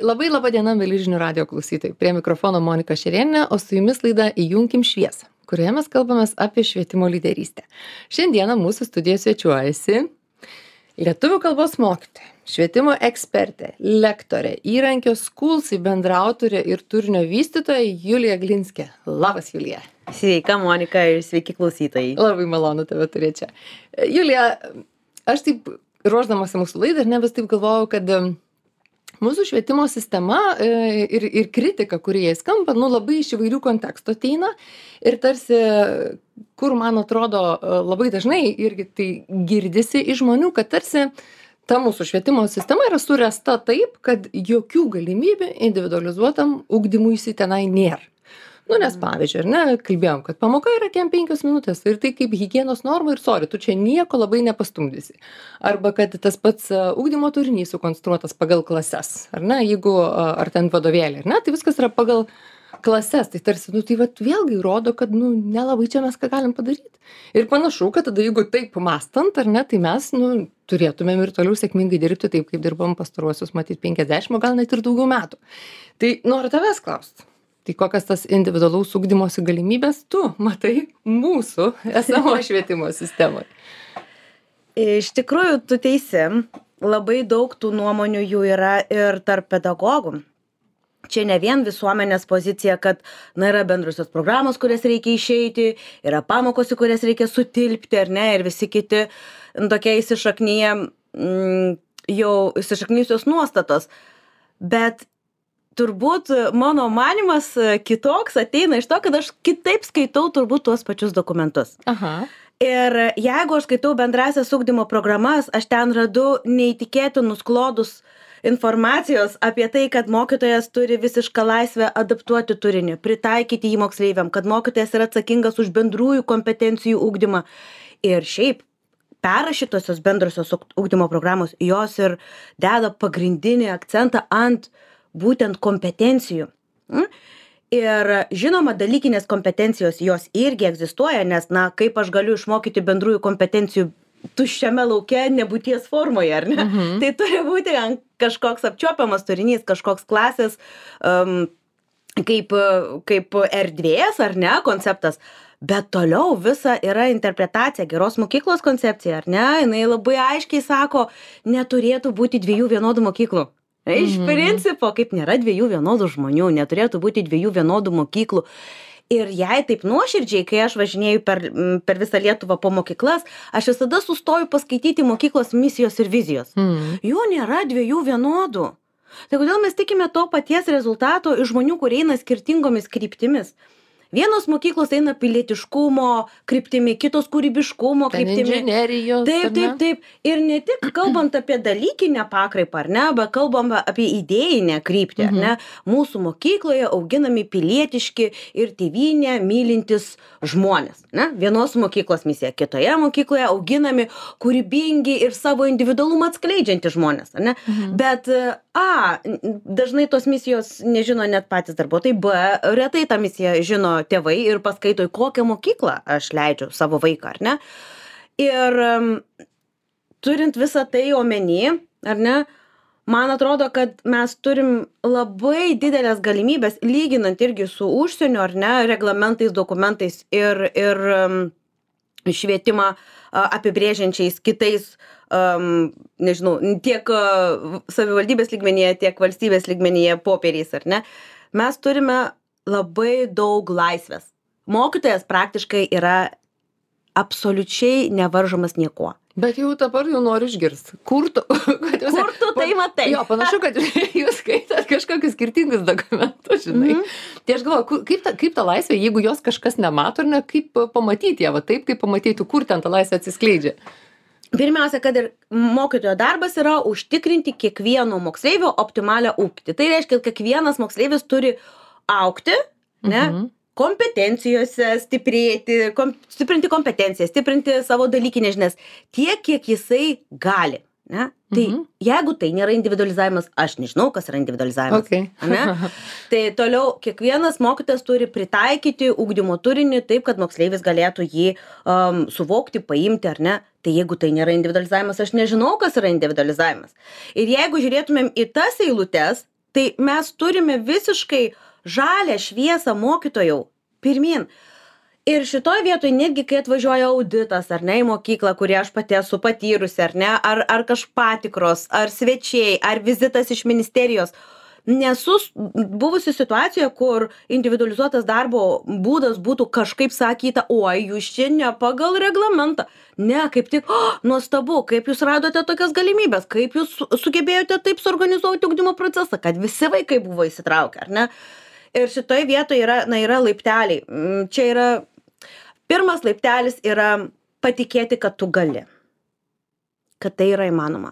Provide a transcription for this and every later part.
Labai laba diena, mėly žinių radio klausytojai. Prie mikrofono Monika Šerėnienė, o su jumis laida Įjunkim šviesą, kurioje mes kalbamės apie švietimo lyderystę. Šiandieną mūsų studijoje svečiuojasi lietuvių kalbos mokytoja, švietimo ekspertė, lektorė, įrankio Schools bendraautorė ir turinio vystytoja Julija Glinskė. Labas, Julija. Sveika, Monika, ir sveiki klausytojai. Labai malonu tave turėti čia. Julija, aš taip ruošdamasi mūsų laidą ir nebes taip galvojau, kad mūsų švietimo sistema ir kritika, kurie jai skamba, labai iš įvairių kontekstų ateina ir tarsi, kur man atrodo labai dažnai irgi tai girdisi iš žmonių, kad tarsi ta mūsų švietimo sistema yra suręsta taip, kad jokių galimybių individualizuotam ugdymuisi tenai nėra. Nes pavyzdžiui, kalbėjom, kad pamoka yra kem 5 minutės ir tai kaip higienos norma ir tu čia nieko labai nepastumdysi. Arba kad tas pats ugdymo turinys sukonstruotas pagal klases, jeigu ar ten vadovėlį, tai viskas yra pagal klases, tai tarsi, tai vėlgi rodo, kad, nelabai čia mes ką galim padaryti. Ir panašu, kad tada, jeigu taip mastant, tai mes, turėtumėm ir toliau sėkmingai dirbti taip, kaip dirbam pastaruosius, matyt, 50, gal net ir daugiau metų. Tai noriu tavęs klausti. Tai kokias tas individualaus ugdymosi galimybės tu matai mūsų esamo švietimo sistemoje? Iš tikrųjų, tu teisi, labai daug tų nuomonių jų yra ir tarp pedagogų. Čia ne vien visuomenės pozicija, kad yra bendrusios programos, kurias reikia išeiti, yra pamokos, į kurias reikia sutilpti, ir visi kiti tokie jau įsišaknyjusios nuostatos. Bet turbūt mano manymas kitoks ateina iš to, kad aš kitaip skaitau turbūt tuos pačius dokumentus. Aha. Ir jeigu aš skaitau bendrasias ugdymo programas, aš ten radu neįtikėtinus klodus informacijos apie tai, kad mokytojas turi visišką laisvę adaptuoti turinį, pritaikyti jį moksleiviam, kad mokytojas yra atsakingas už bendrųjų kompetencijų ugdymą. Ir šiaip perrašytosios bendrosios ugdymo programos, jos ir deda pagrindinį akcentą ant būtent kompetencijų. Ir žinoma, dalykinės kompetencijos jos irgi egzistuoja, nes, kaip aš galiu išmokyti bendrųjų kompetencijų tuščiame lauke nebūties formoje, ar ne? Tai turi būti kažkoks apčiuopiamas turinys, kažkoks klasės kaip erdvės, ar ne, konceptas. Bet toliau visa yra interpretacija, geros mokyklos koncepcija, ar ne? Jinai labai aiškiai sako, neturėtų būti 2 vienodų mokyklų. Iš principo, kaip nėra 2 vienodų žmonių, neturėtų būti 2 vienodų mokyklų. Ir jei taip nuoširdžiai, kai aš važinėju per visą Lietuvą po mokyklas, aš visada sustoju paskaityti mokyklos misijos ir vizijos. Jų nėra 2 vienodų. Tai kodėl mes tikime to paties rezultato iš žmonių, kurie eina skirtingomis kryptimis? Vienos mokyklos eina pilietiškumo kryptimi, kitos kūrybiškumo kryptimi. Inžinerijos. Taip. Ir ne tik kalbant apie dalykinę pakraipą, ar ne, bet kalbam apie idėjinę kryptį, ar ne. Mūsų mokykloje auginami pilietiški ir tėvynę mylintys žmonės. Ne? Vienos mokyklos misija, kitoje mokykloje auginami kūrybingi ir savo individualumą atskleidžiantys žmonės. Ar ne? Bet dažnai tos misijos nežino net patys darbuotojai, retai tą misiją žino tėvai ir paskaito, į kokią mokyklą aš leidžiu savo vaiką, ar ne? Ir turint visą tai omeny, ar ne, man atrodo, kad mes turim labai didelės galimybės, lyginant irgi su užsienio, ar ne, reglamentais, dokumentais ir švietimą apibrėžiančiais kitais, tiek savivaldybės lygmenyje, tiek valstybės lygmenyje popieriais, ar ne? Mes turime labai daug laisvės. Mokytojas praktiškai yra absoliučiai nevaržomas niekuo. Bet jau dabar noriu išgirsti. Kur tu tai matai? Jo, panašu, kad jūs skaitat kažkokius skirtingus dokumentus, žinai. Tai aš galvoju, kaip ta laisvė, jeigu jos kažkas nemato, ar ne, kaip pamatyti ją, taip, kaip pamatytų, kur ten ta laisvė atsiskleidžia. Pirmiausia, kad ir mokytojo darbas yra užtikrinti kiekvieno moksleivio optimalią ugdymą. Tai reiškia, kad kiekvienas moksleivis turi augti, ne, kompetencijose, stiprinti kompetencijas, stiprinti savo dalykinės žinias tiek, kiek jisai gali. Ne? Tai jeigu tai nėra individualizavimas, aš nežinau, kas yra individualizavimas. Ne? Tai toliau kiekvienas mokytojas turi pritaikyti ugdymo turinį taip, kad moksleivis galėtų jį suvokti, paimti, ar ne. Tai jeigu tai nėra individualizavimas, aš nežinau, kas yra individualizavimas. Ir jeigu žiūrėtumėm į tas eilutes, Tai mes turime visiškai žalią šviesą mokytojų pirmin. Ir šitoj vietoj netgi, kai atvažiuoja auditas, ar ne, į mokyklą, kurį aš pati esu patyrusi, ar ne, ar patikros, ar svečiai, ar vizitas iš ministerijos, nesu buvusi situacijoje, kur individualizuotas darbo būdas būtų kažkaip sakyta, oi, jūs čia ne pagal reglamentą. Ne, kaip tik, nuostabu, kaip jūs radote tokias galimybės, kaip jūs sugebėjote taip suorganizuoti ugdymo procesą, kad visi vaikai buvo įsitraukę, ar ne? Ir šitoje vietoje yra laipteliai. Čia yra, pirmas laiptelis yra patikėti, kad tu gali, kad tai yra įmanoma.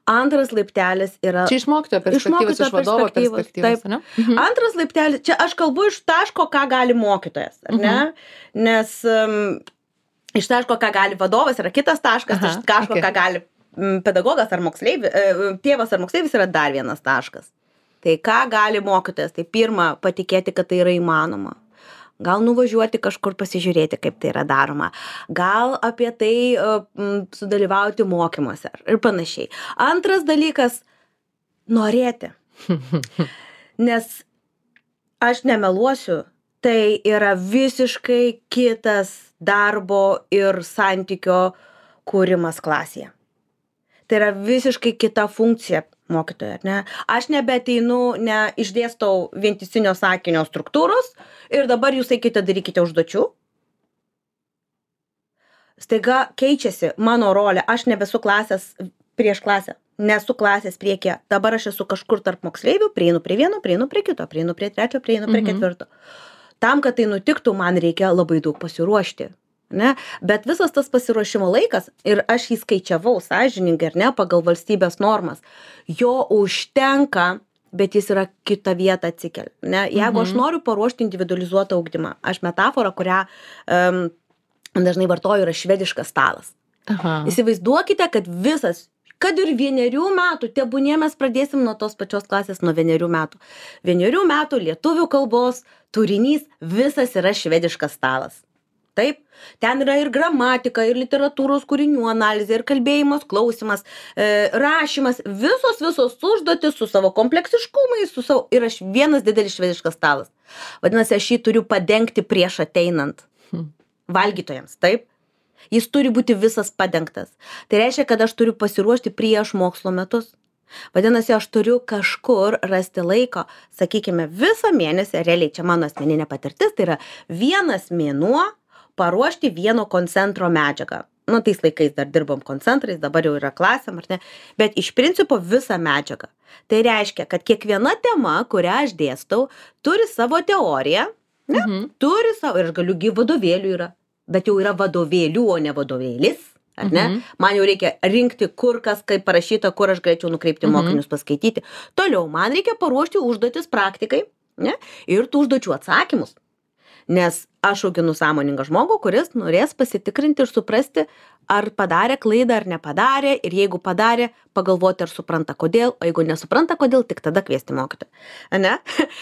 Antras laiptelis yra... Čia iš mokytojo perspektyvos, iš vadovo perspektyvos, ne? Antras laiptelis, čia aš kalbu iš taško, ką gali mokytojas, ar ne? Nes iš taško, ką gali vadovas, yra kitas taškas, iš taško, ką gali pedagogas ar moksleivis, tėvas ar moksleivis yra dar vienas taškas. Tai ką gali mokytojas? Tai pirma, patikėti, kad tai yra įmanoma. Gal nuvažiuoti kažkur pasižiūrėti, kaip tai yra daroma. Gal apie tai sudalyvauti mokymuose ir panašiai. Antras dalykas – norėti. Nes aš nemeluosiu, tai yra visiškai kitas darbo ir santykio kūrimas klasėje. Tai yra visiškai kita funkcija mokytojo, ar ne? Aš nebeateinu, išdėstau vientisinio sakinio struktūros ir dabar jūs eikite, darykite užduočių. Staiga keičiasi mano rolė, aš nebesu klasės prieš klasę, nesu klasės priekyje. Dabar aš esu kažkur tarp moksleivių, prieinu prie vieno, prieinu prie kito, prieinu prie trečio, prieinu prie ketvirto. Tam, kad tai nutiktų, man reikia labai daug pasiruošti. Ne? Bet visas tas pasiruošimo laikas, ir aš jį skaičiavau sąžiningai, ar ne, pagal valstybės normas, jo užtenka, bet jis yra kitą vietą atsikelia. Ne? Jeigu aš noriu paruošti individualizuotą ugdymą, aš metaforą, kurią dažnai vartoju, yra švediškas stalas. Įsivaizduokite, kad visas, kad ir 1 metų, tebūnie mes pradėsim nuo tos pačios klasės, nuo 1 metų. 1 metų lietuvių kalbos turinys visas yra švediškas stalas. Taip, ten yra ir gramatika, ir literatūros kūrinių analizė, ir kalbėjimas, klausimas, rašymas, visos užduotis su savo kompleksiškumais, ir aš vienas didelis švediškas stalas. Vadinasi, aš jį turiu padengti prieš ateinant valgytojams, taip? Jis turi būti visas padengtas. Tai reiškia, kad aš turiu pasiruošti prieš mokslo metus. Vadinasi, aš turiu kažkur rasti laiko, sakykime, visą mėnesį, realiai čia mano asmeninė patirtis, tai yra 1 mėnuo paruošti vieno koncentro medžiagą. Nu, tais laikais dar dirbom koncentrais, dabar jau yra klasėm, ar ne? Bet iš principo visą medžiagą. Tai reiškia, kad kiekviena tema, kurią aš dėstau, turi savo teoriją, ne? Turi savo, ir aš galiu, vadovėlių yra, bet jau yra vadovėlių, o ne vadovėlis, ar ne? Man jau reikia rinkti, kur kas, kaip parašyta, kur aš galėčiau nukreipti mokinius paskaityti. Toliau, man reikia paruošti užduotis praktikai, ne? Ir tų užduočių atsakymus. Nes aš auginu sąmoningą žmogų, kuris norės pasitikrinti ir suprasti, ar padarė klaidą, ar nepadarė, ir jeigu padarė, pagalvoti, ar supranta kodėl, o jeigu nesupranta kodėl, tik tada kviesti mokytoją. Ne?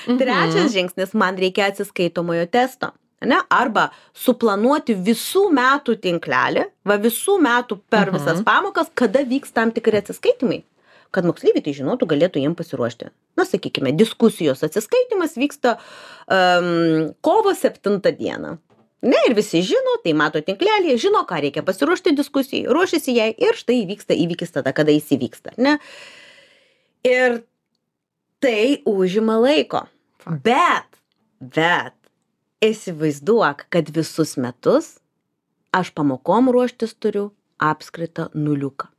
Trečias žingsnis, man reikia atsiskaitomojo testo. Ne? Arba suplanuoti visų metų tinklelį, visų metų per visas pamokas, kada vyks tam tikri atsiskaitimai. Kad moksleiviai tai žinotų, galėtų jiem pasiruošti. Na, sakykime, diskusijos atsiskaitimas vyksta kovo 7 dieną. Ne, ir visi žino, tai mato tinklelį, žino, ką reikia pasiruošti diskusijai, ruošiasi jai ir štai įvyksta įvykis tada, kada jis įvyksta. Ne? Ir tai užima laiko. Bet įsivaizduok, kad visus metus aš pamokom ruoštis turiu apskritą nuliuką.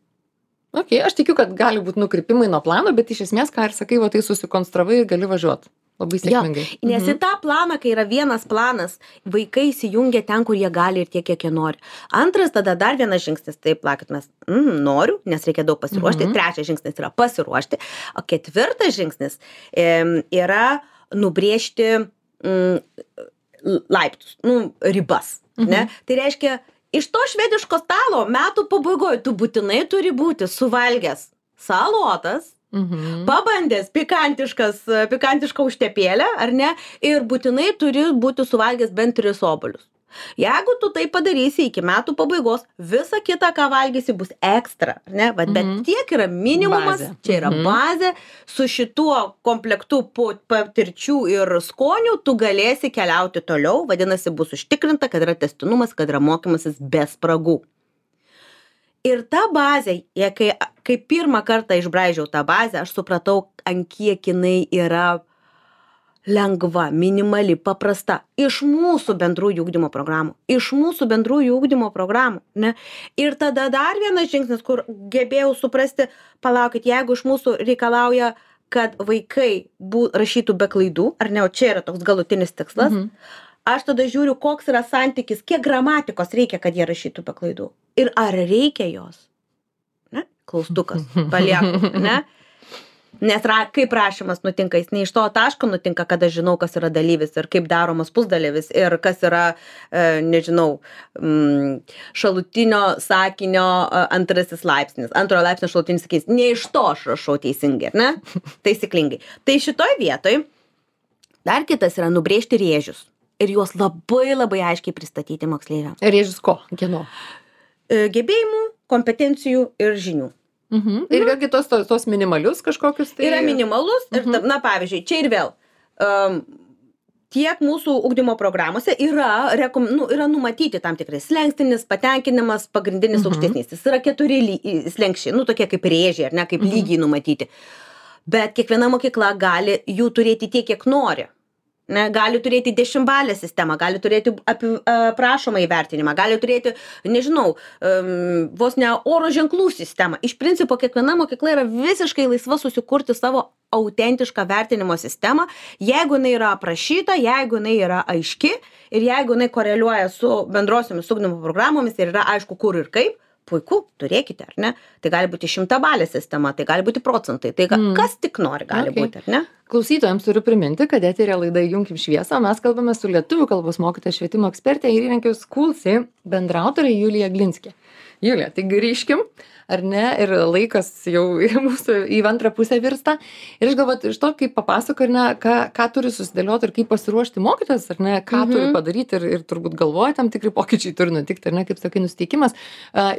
Ok, aš tikiu, kad gali būti nukrypimai nuo plano, bet iš esmės, ką ir sakai, tai susikonstravai ir gali važiuoti. Labai sėkmingai. Jo, nes į tą planą, kai yra vienas planas, vaikai įsijungia ten, kur jie gali ir tiek, kiek jie nori. Antras, tada dar vienas žingsnis, taip, plakit mes, noriu, nes reikia daug pasiruošti. Trečias žingsnis yra pasiruošti. O ketvirtas žingsnis yra nubrėžti laiptus, ribas. Ne? Tai reiškia, iš to švediško stalo metų pabaigoje tu būtinai turi būti suvalgęs salotas, pabandęs pikantišką užtepėlę, ar ne, ir būtinai turi būti suvalgęs bent 3 obuolius. Jeigu tu tai padarysi iki metų pabaigos, visa kita, ką valgysi, bus ekstra, ar ne? Bet tiek yra minimumas, Bazė. čia yra bazė, su šituo komplektu patirčių ir skonių tu galėsi keliauti toliau, vadinasi, bus užtikrinta, kad yra tęstinumas, kad yra mokymasis be spragų. Ir ta bazė, kai pirmą kartą išbraižiau tą bazę, aš supratau, ant kiek jinai yra lengva, minimali, paprasta. Iš mūsų bendrųjų ugdymo programų. Ne? Ir tada dar vienas žingsnis, kur gebėjau suprasti, palaukit, jeigu iš mūsų reikalauja, kad vaikai rašytų be klaidų, ar ne, o čia yra toks galutinis tikslas, aš tada žiūriu, koks yra santykis, kiek gramatikos reikia, kad jie rašytų be klaidų. Ir ar reikia jos? Ne? Klaustukas, palieku, ne? Nes kaip rašymas nutinka, jis ne iš to taško nutinka, kada žinau, kas yra dalyvis ir kaip daromas pusdalyvis ir kas yra, šalutinio sakinio antrasis laipsnis, antrojo laipsnio šalutinis sakinys. Ne iš to aš rašau teisingai, ne? Taisyklingai. Tai šitoj vietoj dar kitas yra nubrėžti rėžius ir juos labai labai aiškiai pristatyti moksleiviams. Rėžius ko? Kieno? Gebėjimų, kompetencijų ir žinių. Ir vėlgi tos minimalius kažkokius tai... Yra minimalus ir, na, pavyzdžiui, čia ir vėl, tiek mūsų ugdymo programuose yra numatyti tam tikrai slenkstinis, patenkinimas, pagrindinis aukštesnis. Jis yra 4 slenkščiai, tokie kaip rėžiai, ar ne, kaip lygiai numatyti. Bet kiekviena mokykla gali jų turėti tiek, kiek nori. Ne, gali turėti 10-balę sistemą, gali turėti prašomą įvertinimą, gali turėti, vos ne oro ženklų sistemą. Iš principo, kiekviena mokykla yra visiškai laisva susikurti savo autentišką vertinimo sistemą, jeigu jinai yra aprašyta, jeigu jinai yra aiški ir jeigu jinai koreliuoja su bendrosiomis ugdymo programomis ir yra aišku, kur ir kaip. Puiku, turėkite, ar ne? Tai gali būti 100-balė sistema, tai gali būti procentai, tai kas tik nori gali būti, ar ne? Klausytojams turiu priminti, kad eteryje laida Įjunkim šviesą, mes kalbame su lietuvių kalbos mokytoja, švietimo ekspertė ir įrankių Schoolsy bendraautorė Julija Glinskė. Julija, tai grįžkim, ar ne, ir laikas jau mūsų į antrą pusę virsta. Ir aš galvoju, iš to, kaip papasako, ar ne, ką turi susidėlioti ir kaip pasiruošti mokytojas, ar ne, ką turi padaryti ir turbūt galvoja, tam tikri pokyčiai turi nutikti, ar ne, kaip sakai, nusiteikimas.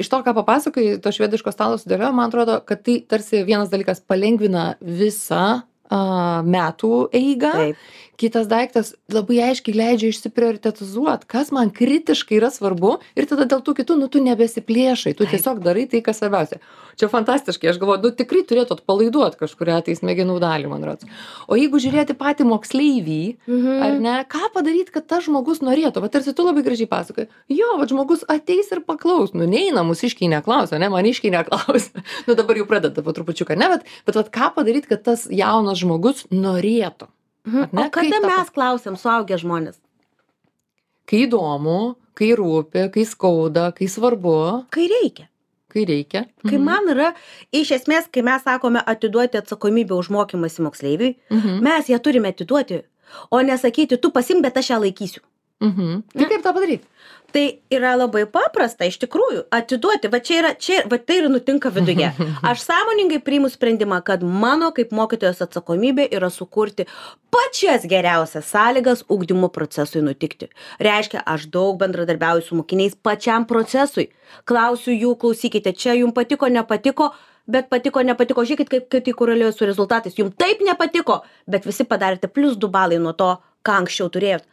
Iš to, ką papasakai, to švediško stalo sudėliojo, man atrodo, kad tai tarsi vienas dalykas palengvina visą metų eigą. Taip. Kitas daiktas labai aiškiai leidžia išsiprioritetizuoti, kas man kritiškai yra svarbu ir tada dėl tų kitų, tu nebesiplėšai, tu tiesiog darai tai, kas svarbiausia. Čia fantastiškai, aš galvoju, tikrai turėtų atpalaiduoti kažkurią tai smegenų dalį, man rodos. O jeigu žiūrėti patį moksleivį, ar ne, ką padaryti, kad tas žmogus norėtų, va tarsi tu labai gražiai pasakoji, žmogus ateis ir paklaus, neina mūsiškiai neklausia, ne, maniškiai neklausia, dabar jau pradeda po trupučiuką, ne, bet ką padaryti, kad tas jaunas žmogus norėtų. O kada mes klausiam suaugę žmonės? Kai įdomu, kai rūpi, kai skauda, kai svarbu. Kai reikia. Kai man yra, iš esmės, kai mes sakome atiduoti atsakomybę už mokymąsi moksleiviui, mes ją turime atiduoti, o nesakyti, tu pasimk, bet aš ją laikysiu. Tai kaip tą padaryti? Tai yra labai paprasta, iš tikrųjų, atiduoti, va tai ir nutinka viduje. Aš sąmoningai priimu sprendimą, kad mano kaip mokytojos atsakomybė yra sukurti pačias geriausias sąlygas ugdymo procesui nutikti. Reiškia, aš daug bendradarbiauju su mokiniais pačiam procesui. Klausiu jų, klausykite, čia jums patiko, nepatiko, bet patiko, nepatiko, žiūrėkit, kaip tai koreliuoja su rezultatais. Jums taip nepatiko, bet visi padarėte +2 balai nuo to, ką anksčiau turėjot.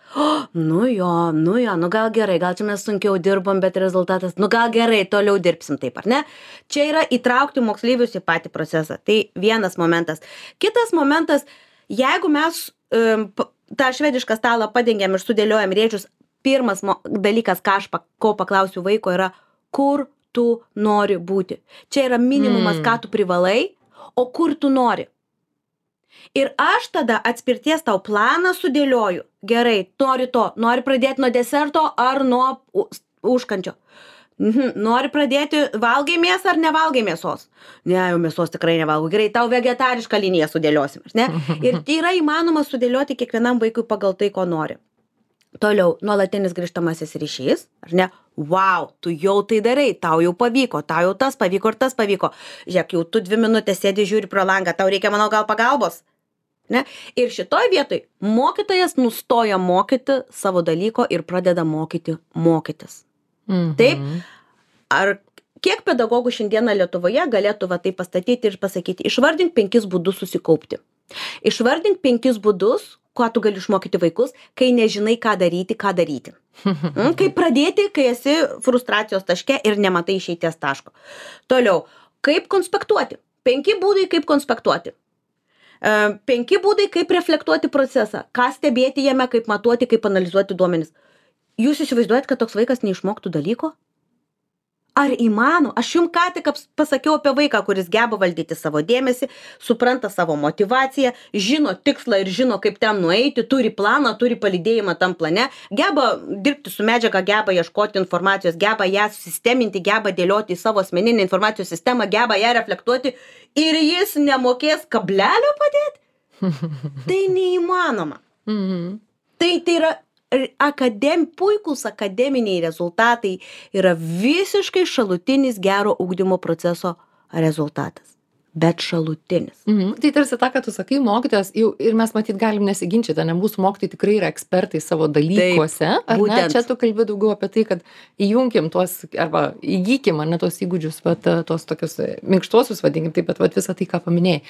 Gal gerai, gal čia mes sunkiau dirbom, bet rezultatas, gal gerai, toliau dirbsim taip, ar ne? Čia yra įtraukti moksleivius į patį procesą. Tai vienas momentas. Kitas momentas, jeigu mes tą švedišką stalą padengiam ir sudėliojam rėžius, pirmas dalykas, ko paklausiu vaiko, yra, kur tu nori būti. Čia yra minimumas, ką tu privalai, o kur tu nori. Ir aš tada atspirties tau planą sudėlioju. Gerai, nori pradėti nuo deserto ar nuo užkančio. Nori pradėti, valgai mėsą ar nevalgai mėsos? Ne, jau mėsos tikrai nevalgau. Gerai, tau vegetarišką liniją sudėliosim, ne? Ir tai yra įmanoma sudėlioti kiekvienam vaikui pagal tai, ko nori. Toliau, nuolatinis grįžtamasis ryšys, ar ne? Wow, tu jau tai darai, tau jau pavyko, tau jau tas pavyko ir tas pavyko. Žiūrėk, jau tu 2 minutės sėdi, žiūri pro langą, tau reikia, manau, gal pagalbos? Ne? Ir šitoj vietoj mokytojas nustoja mokyti savo dalyko ir pradeda mokytis. Taip? Ar kiek pedagogų šiandieną Lietuvoje galėtų va tai pastatyti ir pasakyti, išvardink 5 būdus susikaupti. Išvardink 5 būdus, ką tu gali išmokyti vaikus, kai nežinai, ką daryti. Kaip pradėti, kai esi frustracijos taške ir nematai išeities taško. Toliau, kaip konspektuoti. 5 būdai, kaip konspektuoti. 5 būdai, kaip reflektuoti procesą. Ką stebėti jame, kaip matuoti, kaip analizuoti duomenis. Jūs įsivaizduojat, kad toks vaikas neišmoktų dalyko? Ar įmanoma? Aš jums ką tik pasakiau apie vaiką, kuris geba valdyti savo dėmesį, supranta savo motivaciją, žino tikslą ir žino, kaip ten nueiti, turi planą, turi palydėjimą tam plane, geba dirbti su medžiaga, geba ieškoti informacijos, geba ją susisteminti, geba dėlioti į savo asmeninę informacijos sistemą, geba ją reflektuoti ir jis nemokės kablelio padėti? Tai neįmanoma. Tai yra puikūs akademiniai rezultatai yra visiškai šalutinis gero ugdymo proceso rezultatas. Bet šalutinis. Tai tarsi tą, ką tu sakai, mokytojas, jau ir mes matyt galim nesiginčyti, ne, mūsų mokytojai tikrai yra ekspertai savo dalykuose. Taip, būtent. Čia tu kalbi daugiau apie tai, kad įjunkim tuos, arba įgykim, ne tos įgūdžius, bet tos tokius minkštuosius, vadinkim, taip, bet visą tai, ką paminėjai.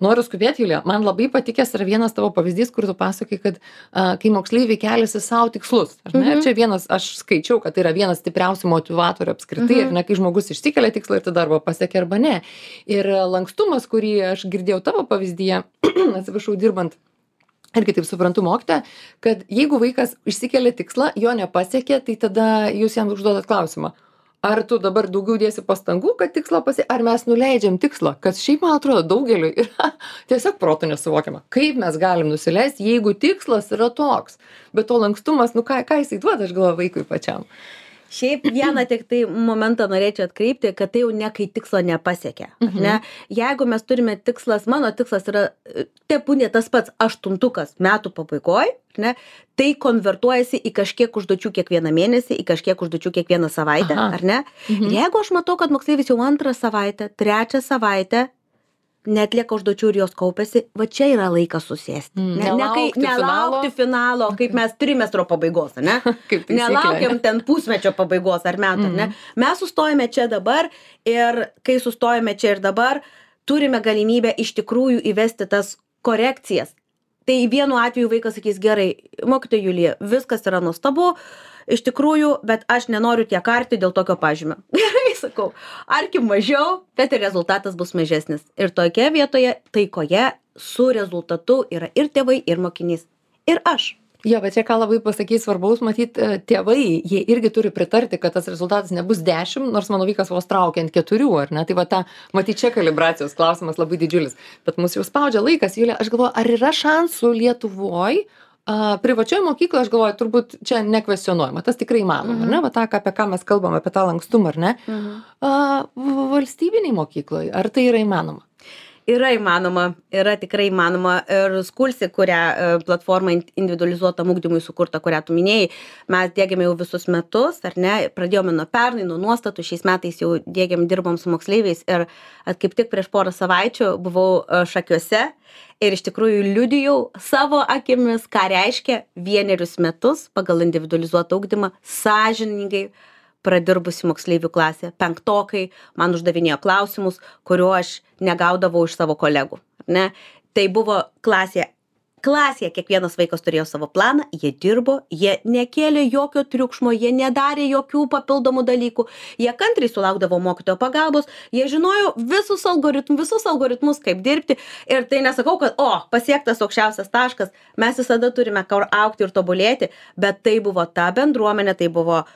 Noriu skubėti, Julija, man labai patikęs yra vienas tavo pavyzdys, kur tu pasakai, kad kai moksleiviai keliasi savo tikslus. Čia vienas, aš skaičiau, kad tai yra vienas stipriausių motivatorių apskritai, ir ne, kai žmogus išsikelia tikslą ir tada arba pasiekia arba ne. Ir lankstumas, kurį aš girdėjau tavo pavyzdyje, atsiprašau, dirbant, irgi taip suprantu mokytoją, kad jeigu vaikas išsikelia tikslą, jo nepasiekė, tai tada jūs jam užduodat klausimą. Ar tu dabar daugiau dėsi pastangų, kad tikslą ar mes nuleidžiam tikslą, kas šiaip, man atrodo, daugeliui yra tiesiog protu nesuvokiama. Kaip mes galim nusileisti, jeigu tikslas yra toks, bet to lankstumas, ką jisai duoda, aš galvoju, vaikui pačiam. Šiaip vieną tik tai momentą norėčiau atkreipti, kad tai jau ne kai tikslo nepasiekia. Ne? Jeigu mes turime tikslas, mano tikslas yra, tebūnie tas pats 8 metų pabaigoj, ne? Tai konvertuojasi į kažkiek užduočių kiekvieną mėnesį, į kažkiek užduočių kiekvieną savaitę, ar ne? Ir jeigu aš matau, kad moksleivis jau 2 savaitę, 3 savaitę neatlieka užduočių ir jos kaupiasi, va čia yra laikas susėsti. Nelaukti finalo, kaip mes trimestro pabaigos, ne? Nelaukiam ten pusmečio pabaigos ar metų, ne? Mes sustojame čia dabar ir kai sustojame čia ir dabar, turime galimybę iš tikrųjų įvesti tas korekcijas. Tai vienu atveju vaikas sakys, gerai, mokytoja Julija, viskas yra nuostabu, iš tikrųjų, bet aš nenoriu tiek arti dėl tokio pažymio. Gerai, sakau, arkim mažiau, bet ir rezultatas bus mažesnis. Ir tokia vietoje, taikoje, su rezultatu yra ir tėvai, ir mokinys, ir aš. Jo, bet čia ką labai pasakys svarbaus, matyt, tėvai, jie irgi turi pritarti, kad tas rezultatas nebus 10, nors mano vaikas vos traukia ant 4, ar ne? Tai va ta, matyt, čia kalibracijos klausimas labai didžiulis. Bet mus jau spaudžia laikas, Julija, aš galvoju, ar yra šansų Lietuvoj, privačioje mokykloje, aš galvoju, turbūt čia nekvestionuojama, tas tikrai įmanoma, ne? Va tą, apie ką mes kalbame, apie tą lankstumą, ar ne? Valstybiniai mokykloje, ar tai yra įmanoma? Yra įmanoma, yra tikrai įmanoma. Ir Skulsi, kurią platformą individualizuotam ugdymui sukurta, kurią tu minėjai, mes diegiame jau visus metus, ar ne? Pradėjome nuo pernai, nuo nuostatų, šiais metais jau dirbom su moksleiviais ir kaip tik prieš porą savaičių buvau Šakiuose ir iš tikrųjų liudijau savo akimis, ką reiškia 1 metus pagal individualizuotą ugdymą sąžiningai pradirbusi moksleivių klasė, 5-okai man uždavinėjo klausimus, kuriuo aš negaudavau iš savo kolegų. Ne? Tai buvo klasėje kiekvienas vaikas turėjo savo planą, jie dirbo, jie nekėlė jokio triukšmo, jie nedarė jokių papildomų dalykų, jie kantriai sulaukdavo mokytojo pagalbos, jie žinojo visus algoritmus, kaip dirbti ir tai nesakau, kad pasiektas aukščiausias taškas, mes visada turime kur augti ir tobulėti, bet tai buvo ta bendruomenė, tai buvo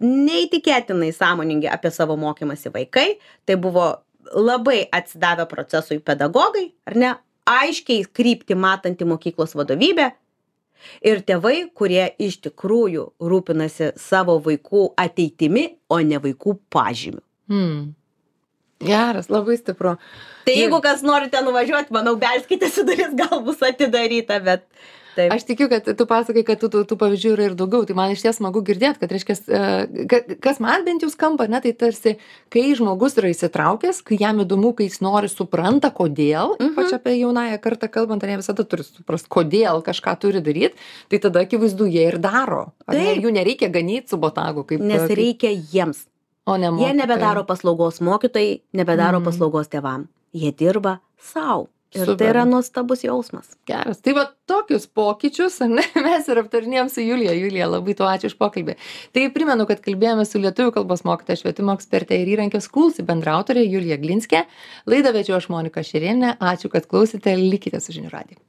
neįtikėtinai sąmoningi apie savo mokymąsi vaikai, tai buvo labai atsidavę procesui pedagogai, ar ne, aiškiai kryptį matanti mokyklos vadovybė ir tėvai, kurie iš tikrųjų rūpinasi savo vaikų ateitimi, o ne vaikų pažymiu. Geras, labai stipru. Tai jeigu kas norite nuvažiuoti, manau, belskite su duris, gal bus atidaryta, bet Taip. Aš tikiu, kad tu pasakai, kad tų pavyzdžių yra ir daugiau. Tai man iš ties smagu girdėti, kad reiškia, kas man bent jau skamba, ne, tai tarsi, kai žmogus yra įsitraukęs, kai jam įdomu, kai jis nori, supranta, kodėl, ypač apie jaunąją kartą kalbant, ar ne visada turi suprasti, kodėl kažką turi daryti, tai tada akivaizdu jie ir daro. Ar ne, jų nereikia ganyti su botagu. Nes reikia jiems. O ne mokytojai. Jie nebedaro paslaugos mokytojai, nebedaro paslaugos tėvam. Jie dirba sau. Ir tai yra nuostabus jausmas. Geras. Tai va tokius pokyčius, ne, mes ir aptarinėjom su Julija. Julija, labai tuo ačiū už pokalbį. Tai primenu, kad kalbėjome su lietuvių kalbos mokytoja, švietimo ekspertė ir įrankio Schoolsy bendraautorė Julija Glinskė. Laidą vedžiau aš Monika Šerėnienė. Ačiū, kad klausėte. Likite su žinių radiju.